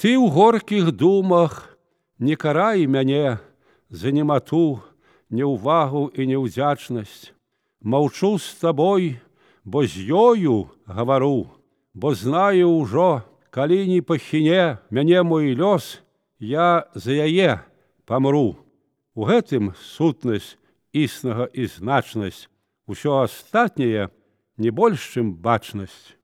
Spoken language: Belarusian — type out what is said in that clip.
Ты ў горкіх думах не карай мяне за немату, неўвагу і неўдзячнасць. Маўчу з табой, бо з ёю гавару, бо знаю ўжо, калі не пахіне мяне мой лёс, я за яе памру. У гэтым сутнасць існага і значнасць, усё астатняе не больш, чым бачнасць.